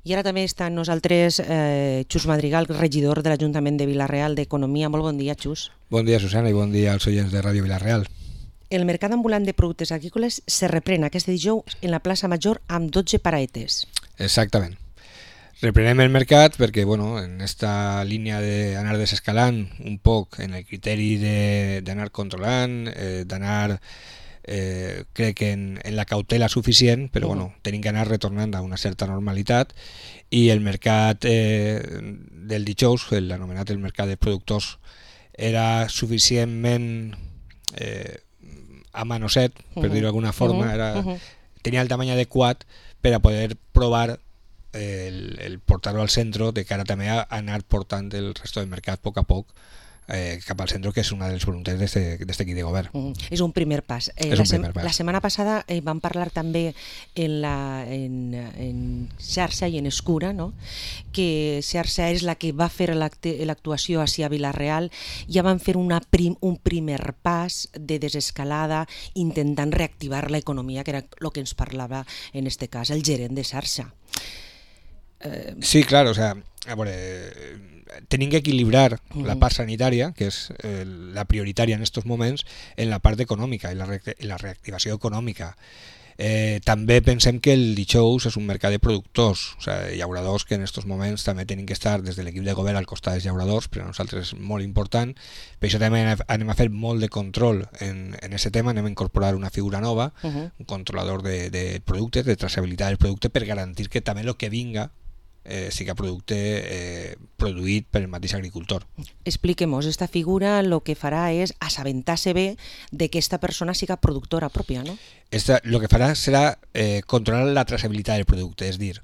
I ara també està amb nosaltres Xus Madrigal, regidor de l'Ajuntament de Vila-real d'Economia. Molt bon dia, Xus. Bon dia, Susana, i bon dia als oients de Ràdio Vila-real. El mercat ambulant de productes agrícoles se reprèn aquest dijous en la plaça Major amb 12 paraetes. Exactament. Reprenem el mercat perquè, en esta línia d'anar desescalant un poc en el criteri d'anar controlant, d'anar, crec que en la cautela suficient, però tenim que anar retornant a una certa normalitat, i el mercat del dijous, l'anomenat el mercat de productors, era suficientment amanoset, per dir-ho d'alguna forma, tenia el tamany adequat per a poder provar el portar-ho al centre de cara també a anar portant el resto del mercat a poc cap al centre, que és una de les voluntats d'aquest equip de govern. És un primer pas. La setmana passada vam parlar també en xarxa i en Escura, no? Que xarxa és la que va fer l'actuació a Vila-real. Ja van fer un primer pas de desescalada intentant reactivar l'economia, que era el que ens parlava en aquest cas el gerent de xarxa. Sí, claro, a veure, tenim que equilibrar la part sanitària, que és la prioritària en aquests moments, en la part econòmica i la reactivació econòmica. També pensem que el dijous és un mercat de productors, llauradors que en aquests moments també tenim que estar des de l'equip de govern al costat dels llauradors, però a nosaltres és molt important. Per això també anem a fer molt de control en aquest tema, anem a incorporar una figura nova, un controlador de productes, de traçabilitat del producte, per garantir que també el que vinga siga producte produït per el mateix agricultor. Expliquem-nos, esta figura el que farà és assabentar-se bé de que esta persona siga productora pròpia, no? El que farà serà controlar la traçabilitat del producte, és dir,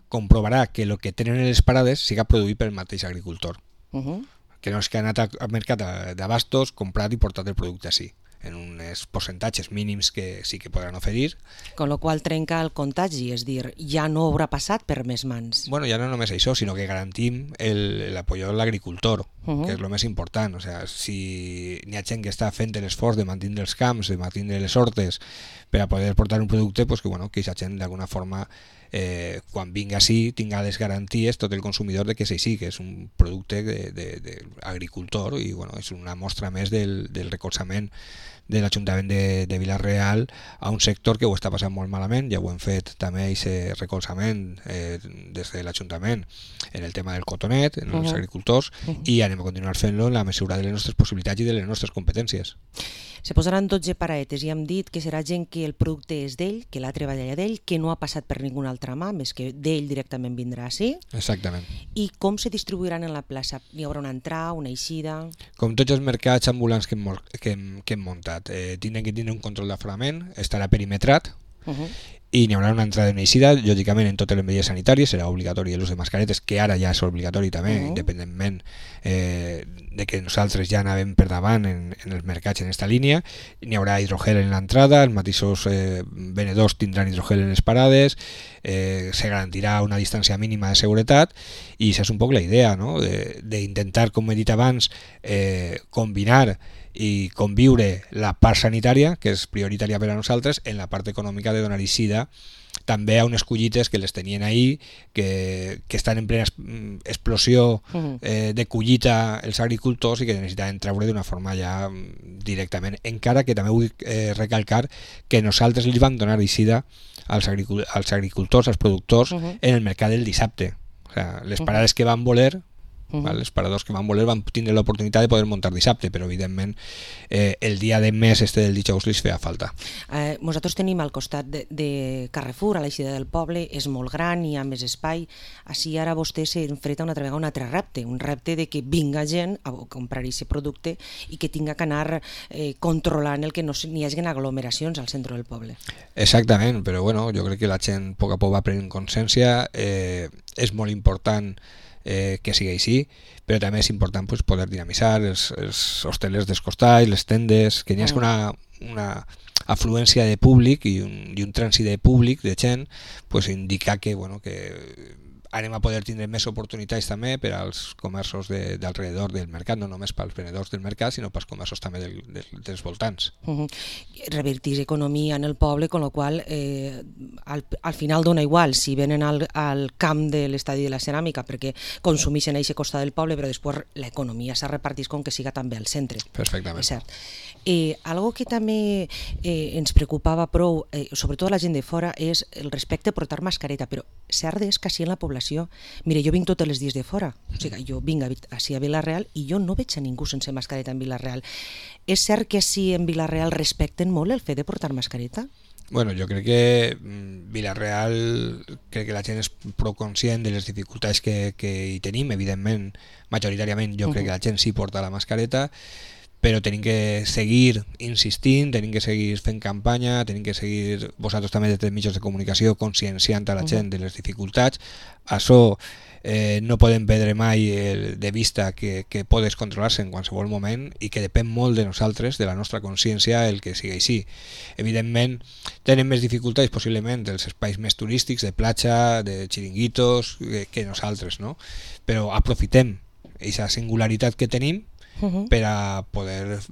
comprovarà que el que tenen en les parades siga produït pel mateix agricultor. Que no és que ha anat al mercat d'abastos, comprat i portat el producte així, en uns percentatges mínims que sí que podran oferir. Con lo qual trenca el contagi, és dir, ja no haurà passat per més mans. Ja no només això, sinó que garantim l'apoyo de l'agricultor, que és el més important. Si n'hi ha gent que està fent l'esforç de mantenir els camps, de mantenir les hortes per a poder portar un producte, que aquesta gent d'alguna forma quan vinga així tinga les garanties tot el consumidor de que és així, que és un producte d'agricultor, i és una mostra més del recolzament de l'Ajuntament de Vila-real a un sector que ho està passant molt malament. Ja ho hem fet també aquest recolzament des de l'Ajuntament en el tema del cotonet, en els agricultors, i anem a continuar fent-lo en la mesura de les nostres possibilitats i de les nostres competències. Se posaran 12 paraetes i hem dit que serà gent que el producte és d'ell, que l'ha treballat d'ell, que no ha passat per ninguna altra mà, més que d'ell directament vindrà així. Exactament. I com se distribuiran en la plaça? Hi haurà una entrada, una eixida? Com tots els mercats ambulants que hem muntat, tindran que tindre un control d'aforament, estarà perimetrat, i n'hi haurà una entrada i una eixida, lògicament en totes les mesures sanitàries, serà obligatori l'ús de mascaretes, que ara ja és obligatori també, independentment de que nosaltres ja anàvem per davant en els mercats en aquesta línia. N'hi haurà hidrogel en l'entrada, els mateixos venedors tindran hidrogel en les parades, se garantirà una distància mínima de seguretat, i això és un poc la idea, no? D'intentar, com he dit abans, combinar i conviure la part sanitària, que és prioritària per a nosaltres, en la part econòmica de donar eixida també a unes collites que les tenien ahir, que estan en plena explosió de collita els agricultors i que necessitaven treure d'una forma ja directament, encara que també vull recalcar que nosaltres els vam donar eixida als agricultors, als productors, en el mercat del dissabte. Les parades que van voler, els paradors que van voler van tindre l'oportunitat de poder muntar dissabte, però evidentment el dia de mes del dijous li feia falta. Nosaltres tenim al costat de Carrefour, a l'eixida del poble, és molt gran, hi ha més espai. Així ara vostè s'enfrenta una altra vegada un altre repte, un repte de que vinga gent a comprar aquest producte i que tinga que anar controlant el que no hi hagi aglomeracions al centre del poble. Exactament, però jo crec que la gent a poc va prenent consciència. És molt important que sigui així, però també és important poder dinamitzar els hostelers dels costats, les tendes, que n'hi hagi una afluència de públic i un trànsit de públic, de gent, indicar que anem a poder tindre més oportunitats també per als comerços d'alrededor del mercat, no només pels venedors del mercat, sinó pels comerços també dels voltants. Revertís economia en el poble, con lo qual al final dona igual si venen al camp de l'estadi de la ceràmica perquè consumeixen a aquest costat del poble, però després l'economia se repartís com que siga també al centre. Perfectament. És cert. Algo que també ens preocupava prou, sobretot a la gent de fora, és el respecte a portar mascareta, però cert és que així en la població, mire, jo vinc tots els dies de fora, o sigui, jo vinc així a Vila-real i jo no veig a ningú sense mascareta en Vila-real. És cert que així en Vila-real respecten molt el fet de portar mascareta? Bueno, jo crec que Vila-real, crec que la gent és prou conscient de les dificultats que hi tenim, evidentment, majoritàriament jo crec que la gent sí porta la mascareta, però tenim que seguir insistint, tenim que seguir fent campanya, tenim que seguir, vosaltres també des dels mitjans de comunicació, conscienciant a la gent de les dificultats. Això no podem perdre mai de vista que pot descontrolar-se en qualsevol moment i que depèn molt de nosaltres, de la nostra consciència, el que sigui així. Evidentment, tenen més dificultats possiblement dels espais més turístics, de platja, de xiringuitos, que nosaltres, no? Però aprofitem aquesta singularitat que tenim per a poder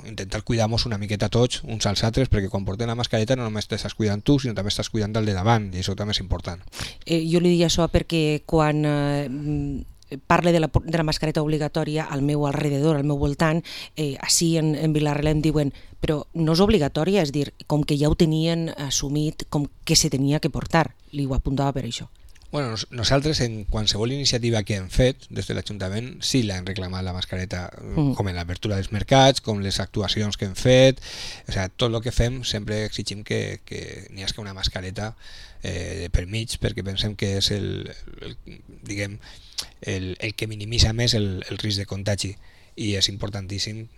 intentar cuidar-nos una miqueta tots uns als altres, perquè quan portem la mascareta no només t'estàs cuidant tu, sinó també estàs cuidant el de davant, i això també és important. Jo li dic això perquè quan parle de la mascareta obligatòria al meu alrededor, al meu voltant, així en Vila-real em diuen però no és obligatòria, és dir, com que ja ho tenien assumit com que se tenia que portar, li ho apuntava per això. Bueno, nosaltres en qualsevol iniciativa que hem fet des de l'Ajuntament sí l'hem reclamat la mascareta, com en l'apertura dels mercats, com les actuacions que hem fet, o sigui, tot el que fem sempre exigim que n'hi hagi una mascareta per mig, perquè pensem que és el que minimitza més el risc de contagi, i és importantíssim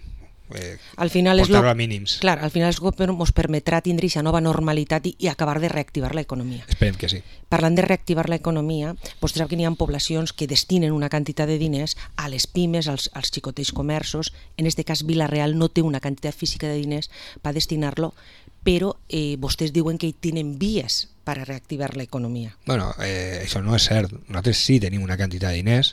portar-ho a mínims. Clar, al final ens permetrà tindre aquesta nova normalitat i acabar de reactivar l'economia. Esperem que sí. Parlant de reactivar l'economia, vostè sap que n'hi ha poblacions que destinen una quantitat de diners a les pimes, als xicotets comerços. En aquest cas, Vila-real no té una quantitat física de diners per destinar-lo, però vostès diuen que hi tenen vies per a reactivar l'economia. Bueno, això no és cert. Nosaltres sí tenim una quantitat de diners.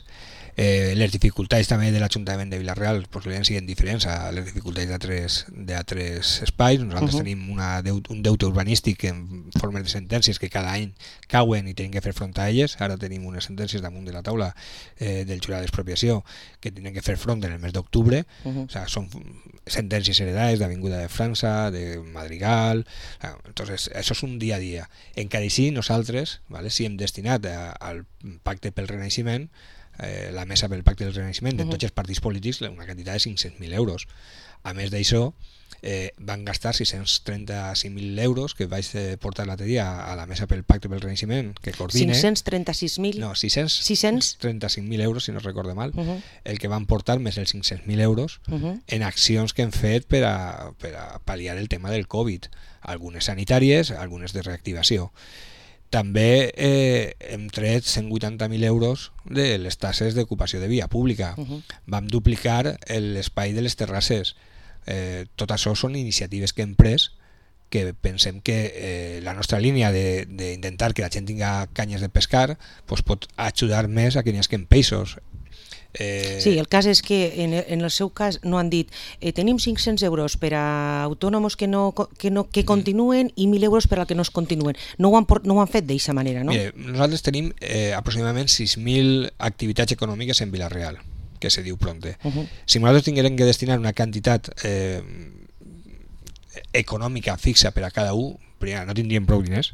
Les dificultats també de l'Ajuntament de Vila-real possiblement siguin diferents a les dificultats d'altres espais. Nosaltres tenim un deute urbanístic en forma de sentències que cada any cauen i tenim que fer front a elles. Ara tenim unes sentències damunt de la taula del jurat d'expropiació que tenen que fer front en el mes d'octubre. O sigui, són sentències heredades d'Avinguda de França, de Madrigal. Entonces, això és un dia a dia. Encara així, nosaltres sí hem destinat al Pacte pel Renaixement, la mesa pel Pacte del Renaixement de tots els partits polítics, una quantitat de 500.000 euros. A més d'això, van gastar 635.000 euros que vaig portar l'altre dia a la mesa pel Pacte pel Renaixement, que coordina... 536.000? No, 635.000 euros, si no recordo mal, el que van portar més els 500.000 euros en accions que hem fet per a pal·liar el tema del Covid, algunes sanitàries, algunes de reactivació. També hem tret 180.000 euros de les taxes d'ocupació de via pública. Vam duplicar l'espai de les terrasses. Tot això són iniciatives que hem pres, que pensem que la nostra línia d'intentar que la gent tinga canyes de pescar pot ajudar més a que n'hi hagi peixos. Sí, el cas és que en el seu cas no han dit tenim 500 euros per a autònoms que continuen i 1.000 euros per a que no es continuen. No ho han fet d'aquesta manera, no? Mire, nosaltres tenim aproximadament 6.000 activitats econòmiques en Vila-real, que se diu Pronte. Si nosaltres tinguérem que destinar una quantitat econòmica fixa per a cada un, no tindríem prou diners.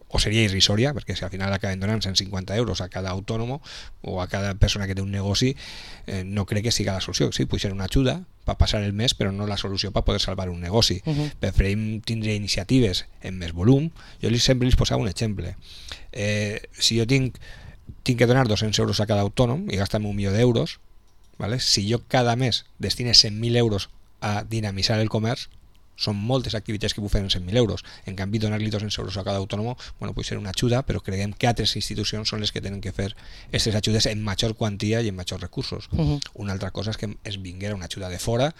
O seria irrisòria, perquè si al final acaben donant 150 euros a cada autònom o a cada persona que té un negoci, no crec que sigui la solució. Sí, pot ser una ajuda per passar el mes, però no la solució per poder salvar un negoci. Preferim tindre iniciatives en més volum. Jo sempre els posava un exemple. Si jo tinc que donar 200 euros a cada autònom i gastar-me 1.000.000 d'euros, si jo cada mes destine 100.000 euros a dinamitzar el comerç, són moltes activitats que bufen 100.000 euros. En canvi, donar-li 200 euros a cada autònom, bueno, pot ser una ajuda, però creiem que altres institucions són les que tenen que fer aquestes ajudes en major quantia i en majors recursos. Una altra cosa és que es vinguera una ajuda de fora,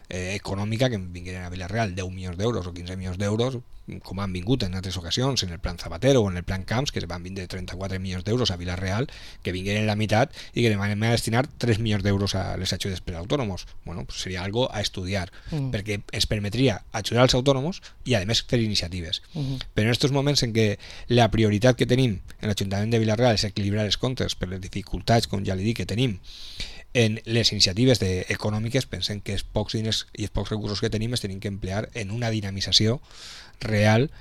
econòmica, que vingueren a Vila-real 10 milions d'euros o 15 milions d'euros, com han vingut en altres ocasions, en el plan Zapatero o en el plan Camps, que van vindre 34 milions d'euros a Vila-real, que vingueren la meitat i que demanem a destinar 3 milions d'euros a les ajudes per a autònoms. Bueno, pues seria algo a estudiar, perquè ens permetria ajudar als autònoms i, a més, fer iniciatives. Però en aquests moments en què la prioritat que tenim en l'Ajuntament de Vila-real és equilibrar els comptes per les dificultats, com ja li dic, que tenim en les iniciatives econòmiques, pensem que els pocs diners i els pocs recursos que tenim es tenim que emplear en una dinamització real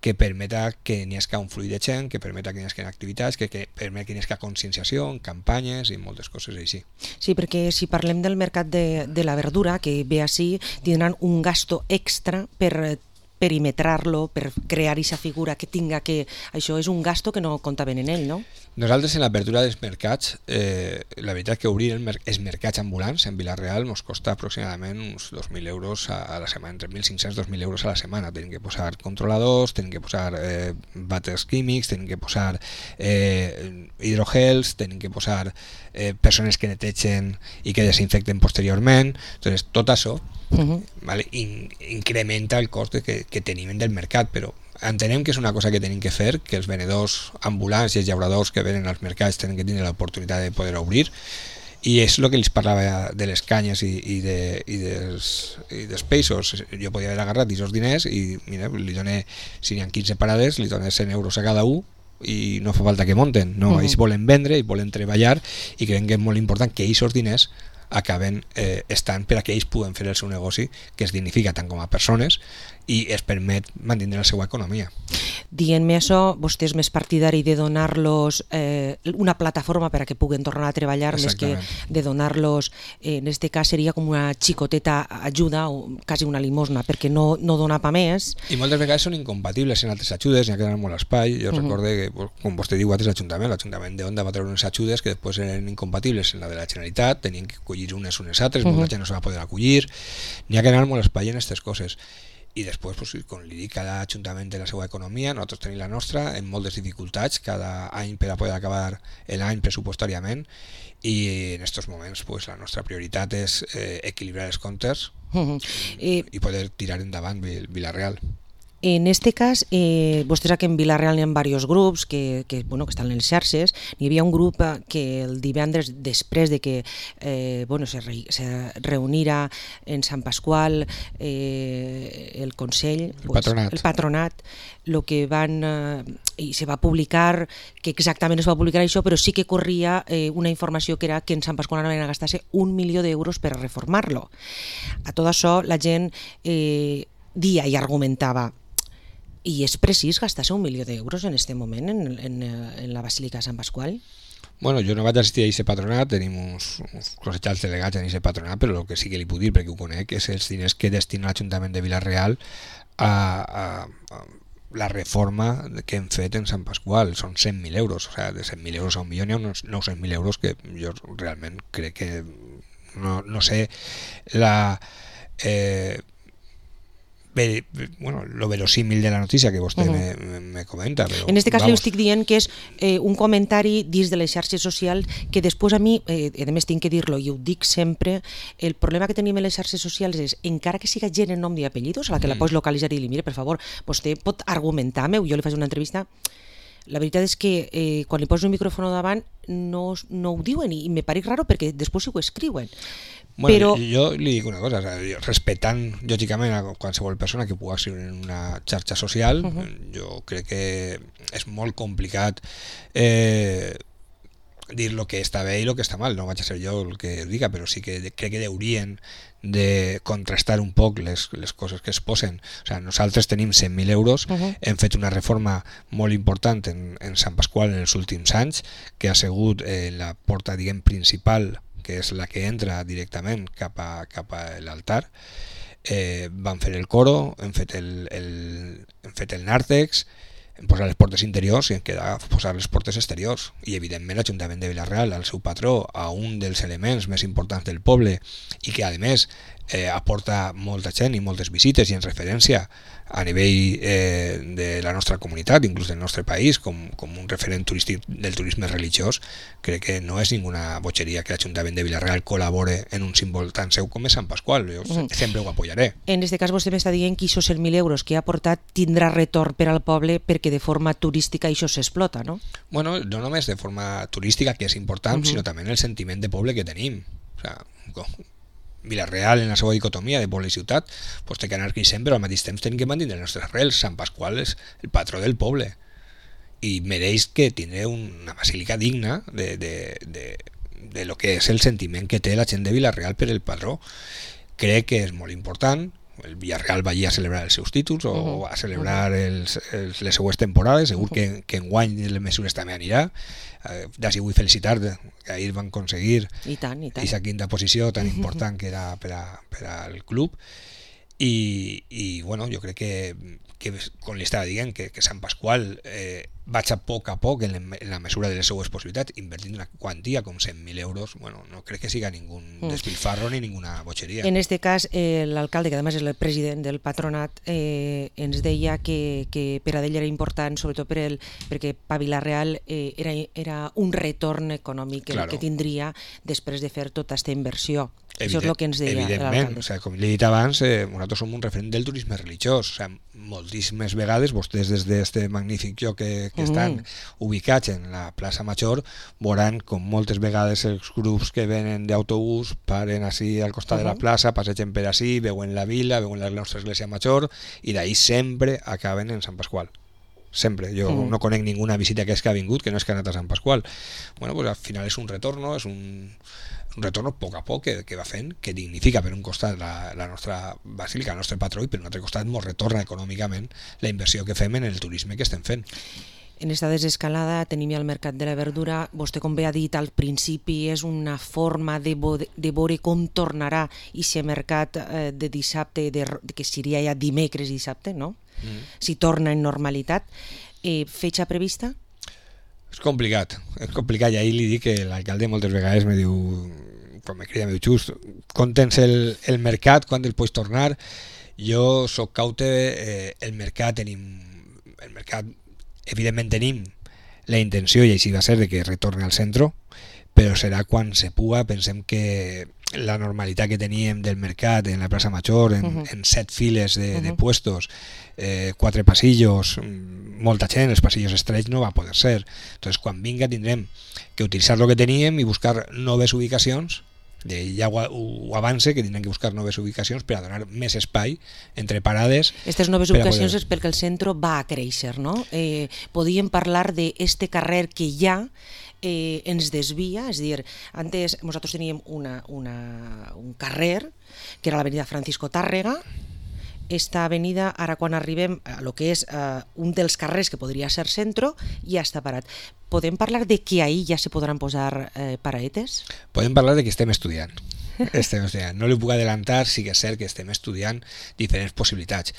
que permeta que n'hi hagi un fluid de gent, que permeta que n'hi hagi activitats, que permeta que n'hi hagi conscienciació, campanyes i moltes coses així. Sí, perquè si parlem del mercat de la verdura, que ve així, tindran un gasto extra per perimetrar-lo, per crear aquesta figura que tinga que... Això és un gasto que no comptaven en ell, no? Nosaltres en l'apertura dels mercats, la veritat que obrir els mercats ambulants en Vila-real ens costa aproximadament uns 2.000 euros a la setmana, entre 1.500 i 2.000 euros a la setmana. Tenim que posar controladors, tenim que posar vàters químics, tenim que posar hidrogels, tenim que posar persones que netegen i que desinfecten posteriorment. Entonces, tot això vale, incrementa el cost que tenim del mercat, però entenem que és una cosa que tenim que fer, que els venedors ambulants i els llauradors que venen als mercats tenen que tenir l'oportunitat de poder obrir, i és el que els parlava de les canyes i dels peixos. Jo podia haver agarrat aquests diners i mira, li doné, si n'hi ha 15 parades, li doné 100 euros a cada un i no fa falta que monten, no, ells volen vendre i volen treballar, i creiem que és molt important que aquests diners acaben estant per a que ells puguen fer el seu negoci, que es dignifica tant com a persones i es permet mantenir la seva economia. Dient-me això, vostè és més partidari de donar-los una plataforma per a que puguen tornar a treballar, més que de donar-los, en aquest cas seria com una xicoteta ajuda o quasi una limosna, perquè no dona pa més. I moltes vegades són incompatibles en altres ajudes, n'hi ha que donar molt espai. Jo recordo que, com vostè diu, l'Ajuntament d'Onda va treure unes ajudes que després eren incompatibles en la de la Generalitat, tenien que acollir unes altres, molta gent no se va poder acollir. N'hi ha que donar molt espai en aquestes coses. I després, pues, com li dic, cada ajuntament té la seva economia, nosaltres tenim la nostra, en moltes dificultats cada any per a poder acabar l'any pressupostàriament, i en aquests moments pues, la nostra prioritat és equilibrar els comptes i poder tirar endavant Vila-real. En este cas, vostès aquí en Vila-real hi ha diversos grups que estan en les xarxes. Hi havia un grup que el divendres, després de que se reunira en Sant Pasqual el Consell, el Patronat, el que van i se va publicar, que exactament es va publicar això, però sí que corria una informació que era que en Sant Pasqual anaven a gastar-se 1 milió d'euros per a reformar-lo. A tot això la gent dia i argumentava: i és precís gastar-se 1 milió d'euros en aquest moment en la Basílica de Sant Pasqual? Bueno, jo no vaig assistir a aquest patronat, tenim uns cossetjals delegats en aquest patronat, però el que sí que li puc dir, perquè ho conec, és els diners que destina l'Ajuntament de Vila-real a la reforma que hem fet en Sant Pasqual. Són 100.000 euros, o sigui, de 100.000 euros a 1 milió hi ha uns 900.000 euros que jo realment crec que no sé lo verosímil de la notícia que vostè me comenta. Però, en aquest cas li estic dient que és un comentari dins de les xarxes socials que després a mi, a més tinc que dir-lo i ho dic sempre, el problema que tenim en les xarxes socials és, encara que siga gent en nom i apellidos a la que la pots localitzar i dir, mire, per favor, vostè pot argumentar-me, jo li faig una entrevista. La veritat és que quan li poso un micròfon davant no ho diuen i me pareix raro perquè després ho escriuen. Bueno, però jo li dic una cosa, respectant lògicament a qualsevol persona que pugui escriure en una xarxa social, jo crec que és molt complicat dir lo que està bé i lo que està mal. No vaig a ser jo el que diga, però sí que crec que haurien de contrastar un poc les coses que es posen. O sigui, nosaltres tenim 100.000 euros, hem fet una reforma molt important en Sant Pasqual en els últims anys, que ha sigut la porta, diguem, principal, que és la que entra directament cap a l'altar. Vam fer el coro, hem fet el nàrtex, hem posat les portes interiors i em queda posar les portes exteriors. I evidentment l'Ajuntament de Vila-real, el seu patró, a un dels elements més importants del poble i que a més aporta molta gent i moltes visites i en referència a nivell de la nostra comunitat, inclús del nostre país, com un referent turístic del turisme religiós. Crec que no és ninguna bogeria que l'Ajuntament de Vila-real col·labore en un símbol tan seu com és Sant Pasqual. Jo sempre ho apoyaré. En aquest cas vostè m'està dient que aquests 100.000 euros que ha aportat tindrà retorn per al poble perquè de forma turística això s'explota, no? Bueno, no només de forma turística, que és important, sinó també en el sentiment de poble que tenim. O sea, Vila-real, en la seva dicotomia de poble i ciutat, pues té que anar creixent, però al mateix temps tenim que mantenir les nostres arrels. Sant Pasqual és el patró del poble i mereix que tingui una basílica digna de lo que és el sentiment que té la gent de Vila-real per el patró. Crec que és molt important. El Villarreal va allí a celebrar els seus títols o a celebrar les seues temporades. Segur que enguany les mesures també anirà. D'ací vull felicitar que ahir van aconseguir aquesta quinta posició tan important que era per al club. I bueno, jo crec que com li estava dient, que Sant Pasqual vaig a poc en la mesura de les seues possibilitats, invertint una quantia com 100.000 euros. Bueno, no crec que siga ningú despilfarro ni ninguna bogeria. En este cas, l'alcalde, que además és el president del patronat, ens deia que per a ell era important, sobretot perquè per Vila-real era un retorn econòmic que tindria després de fer tota aquesta inversió. Això és el que ens deia l'alcalde. Evidentment, com li he dit abans, nosaltres som un referent del turisme religiós. Moltíssimes vegades vostès des d'aquest magnífic lloc que estan ubicats en la plaça Major veuran com moltes vegades els grups que venen d'autobús paren així al costat de la plaça, passegen per així, veuen la vila, veuen la nostra església Major i d'ahí sempre acaben en Sant Pasqual. Sempre. Jo no conec ninguna visita que ha vingut que no és que ha anat a Sant Pasqual. Bueno, pues al final és un retorno, és un retorn a poc que va fent, que dignifica per un costat la nostra basílica, el nostre patró, i per un altre costat ens retorna econòmicament la inversió que fem en el turisme que estem fent. En esta desescalada tenim ja el mercat de la verdura. Vostè, com bé ha dit al principi, és una forma de veure com tornarà aquest mercat de dissabte, que seria ja dimecres i dissabte, no? Si torna en normalitat. Fetxa prevista? És complicat i ahir li dic que l'alcalde moltes vegades me diu, quan me crida, me diu, Xus, quan tens el mercat, quan el pots tornar? Jo soc caute, el mercat evidentment tenim la intenció, i així va ser, de que retorni al centre, però serà quan se puga. Pensem que la normalitat que teníem del mercat en la plaça Major, en 7 files de puestos, 4 passillos, molta gent, els passillos estrets, no va poder ser. Entonces, quan vinga tindrem que utilitzar el que teníem i buscar noves ubicacions. Ja ho avance, que tindrem que buscar noves ubicacions per a donar més espai entre parades. Aquestes noves ubicacions és perquè el centre va a créixer, no? Podíem parlar d'este carrer que ja ens desvia, és a dir, antes nosaltres teníem un carrer que era l'avenida Francisco Tàrrega. Esta avenida, ara quan arribem a lo que és un dels carrers que podria ser centre, ja està parat. Podem parlar de que ahir ja se podran posar paraetes? Podem parlar de que estem estudiant. No li puc adelantar, sí que és cert que estem estudiant diferents possibilitats.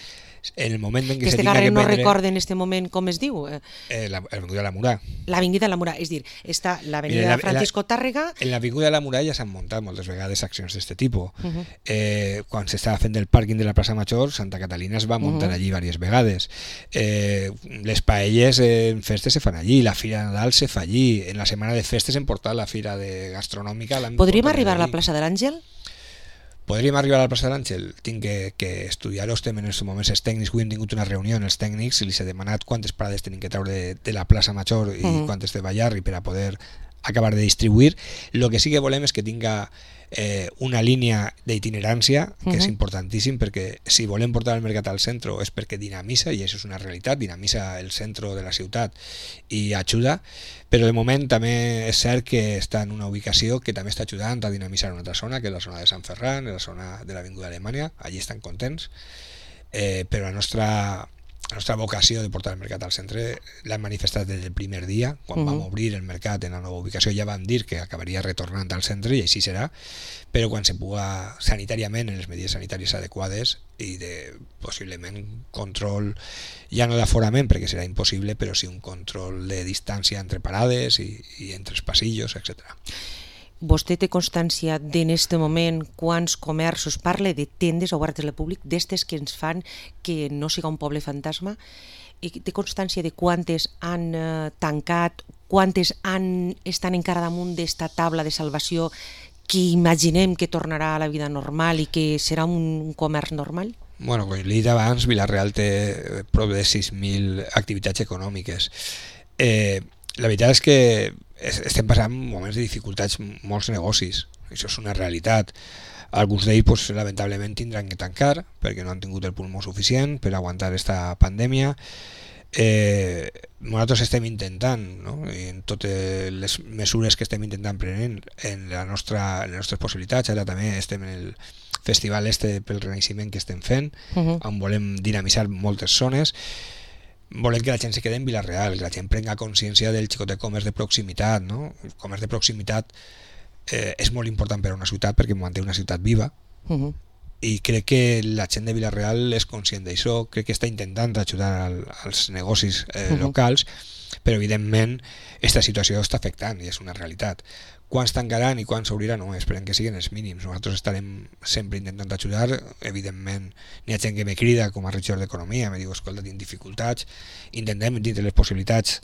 En el moment en què se tinga que no recorda en este moment com es diu? L'Avinguda de la Murà. L'Avinguda de la Murà, és dir, està l'Avenida Francisco Tàrrega. En l'Avinguda de la Murà ja s'han muntat moltes vegades accions d'aquest tipus. Quan s'estava fent el pàrquing de la plaça Major, Santa Catalina es va muntar allí diverses vegades. Les paelles en festes se fan allí, la Fira de Nadal se fa allí, en la setmana de festes hem portat la Fira Gastronòmica. Podríem arribar a la plaça de l'Àngel? Podríem arribar a la plaça de l'Àngel. Tinc que estudiar-ho. Estem en aquests moments els tècnics. Avui hem tingut una reunió amb els tècnics i els he demanat quantes parades tenim que treure de la plaça Major i quantes de Ballarri per a poder acabar de distribuir. El que sí que volem és que tinga una línia d'itinerància, que és importantíssim, perquè si volem portar el mercat al centre és perquè dinamissa, i això és una realitat, dinamissa el centre de la ciutat i ajuda, però de moment també és cert que està en una ubicació que també està ajudant a dinamitzar una altra zona, que és la zona de Sant Ferran, la zona de l'Avinguda Alemanya. Allí estan contents, però la nostra vocació de portar el mercat al centre l'hem manifestat des del primer dia. Quan vam obrir el mercat en la nova ubicació ja vam dir que acabaria retornant al centre, i així serà, però quan se puga sanitàriament, en les medides sanitàries adequades i de possiblement control, ja no d'aforament perquè serà impossible, però sí un control de distància entre parades i entre els passillos, etc. vostè té constància d'en este moment quants comerços, parla de tendes obertes al públic, d'estes que ens fan que no siga un poble fantasma, i té constància de quantes han tancat, quantes estan encara damunt d'esta taula de salvació que imaginem que tornarà a la vida normal i que serà un comerç normal? Bueno, com li he dit abans, Vila-real té prop de 6.000 activitats econòmiques. La veritat és que estem passant moments de dificultats molts negocis, això és una realitat. Alguns d'ells pues, lamentablement tindran que tancar perquè no han tingut el pulmó suficient per aguantar aquesta pandèmia. Nosaltres estem intentant, no? En totes les mesures que estem intentant prenent en les nostres possibilitats. Ara també estem en el festival pel Renaixement que estem fent, on volem dinamitzar moltes zones. Volem que la gent se quede en Vila-real, que la gent prenga consciència del xicotet comerç de proximitat, no? El comerç de proximitat és molt important per a una ciutat perquè manté una ciutat viva, i crec que la gent de Vila-real és conscient d'això, crec que està intentant ajudar als negocis locals, però evidentment aquesta situació està afectant i és una realitat. Quants tancaran i quants s'obriran, no, esperem que siguin els mínims. Nosaltres estarem sempre intentant ajudar. Evidentment n'hi ha gent que me crida com a regidor d'Economia, me diu, escolta, tinc dificultats, intentem dintre les possibilitats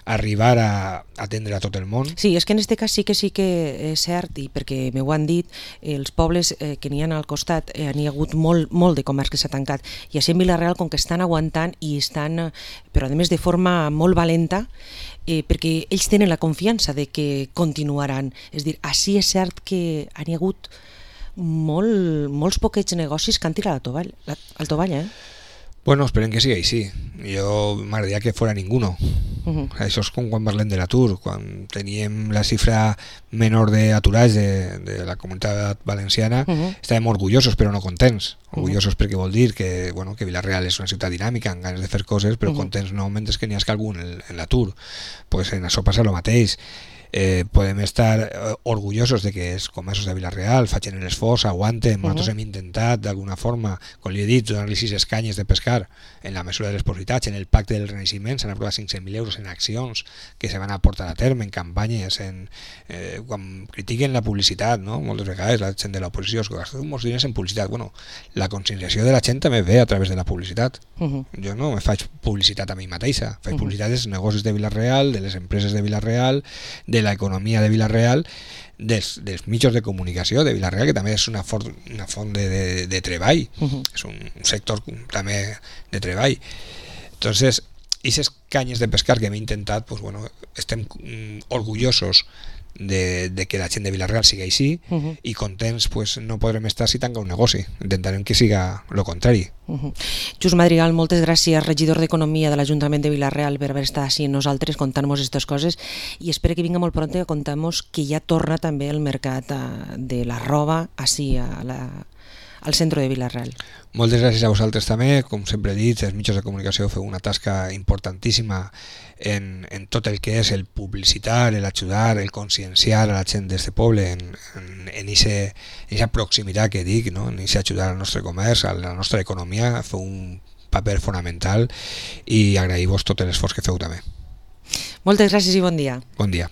arribar a atendre a tot el món. Sí, és que en aquest cas sí que és cert, i perquè m'ho han dit, els pobles que n'hi ha al costat n'hi ha hagut molt de comerç que s'ha tancat, i així en Vila-real com que estan aguantant i estan, però a més de forma molt valenta, perquè ells tenen la confiança de que continuaran. És dir, així és cert que n'hi ha hagut molts poquets negocis que han tirat al tovall, Bueno, esperem que sigui així. Jo m'agradaria que fora ninguno. Això és com quan parlem de l'atur, quan teníem la xifra menor d'aturats de la comunitat valenciana, estàvem orgullosos però no contents. Orgullosos perquè vol dir que, bueno, que Vila-real és una ciutat dinàmica, amb ganes de fer coses, però contents no, mentre que n'hi ha algú en l'atur. Pues en això passa el mateix. Podem estar orgullosos de que els comerços de Vila-real facin l'esforç, aguanten. Nosaltres hem intentat d'alguna forma, com li he dit, donar-li 6 escanyes de pescar en la mesura de les possibilitats. En el pacte del Renaixement s'han aprovat 500.000 euros en accions que se van a portar a terme, en campanyes, quan critiquen la publicitat, no? Moltes vegades la gent de l'oposició es gasta molts diners en publicitat. Bueno, la conscienciació de la gent també ve a través de la publicitat. Jo no me faig publicitat a mi mateixa, faig publicitat dels negocis de Vila-real, de les empreses de Vila-real, de l'economia de Vila-real, dels mitjans de comunicació de Vila-real, que també és una font de treball, és un sector també de treball. Entonces, aquestes canyes de pescar que hem intentat, pues, bueno, estem orgullosos de que la gent de Vila-real sigui així, i contents pues, no podrem estar si tanca un negoci. Intentarem que siga el contrari. Just Madrigal, moltes gràcies, regidor d'Economia de l'Ajuntament de Vila-real, per haver estat així amb nosaltres contant-nos aquestes coses, i espero que vinga molt pront a contar-nos que ja torna també el mercat de la roba així al centre de Vila-real. Moltes gràcies a vosaltres també. Com sempre he dit, els mitjans de comunicació feu una tasca importantíssima en tot el que és el publicitar, el ajudar, el conscienciar a la gent d'aquest poble en aquesta proximitat que dic, no? En aquest ajudar al nostre comerç, a la nostra economia. Feu un paper fonamental i agrair-vos tot l'esforç que feu també. Moltes gràcies i bon dia. Bon dia.